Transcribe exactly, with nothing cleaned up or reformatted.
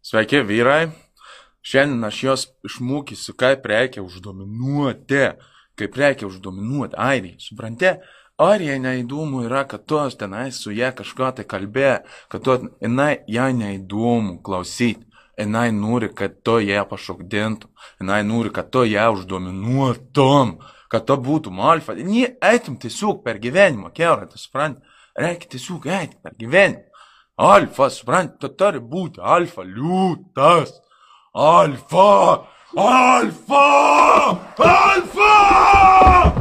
Sveiki, vyrai. Šiandien aš jos išmokysiu, kaip reikia uždominuoti. Kaip reikia uždominuoti airiją. Supranti? Airijai neįdomu yra, kad tu tenai su jie kažką tai kalbė, kad tu, jinai, jai neįdomu klausyti. Jinai nori, kad tu ją pašokdintum. Jinai nori, kad tu ją uždominuotum. Kad tu būtum alfa. Nie, eitum tiesiog per gyvenimą, keura, tu supranti? Reikia tiesiog eiti per gyvenimą. Alfa, supranti, tu turi būti alfa liūtas. Alfa! Alfa! Alfa!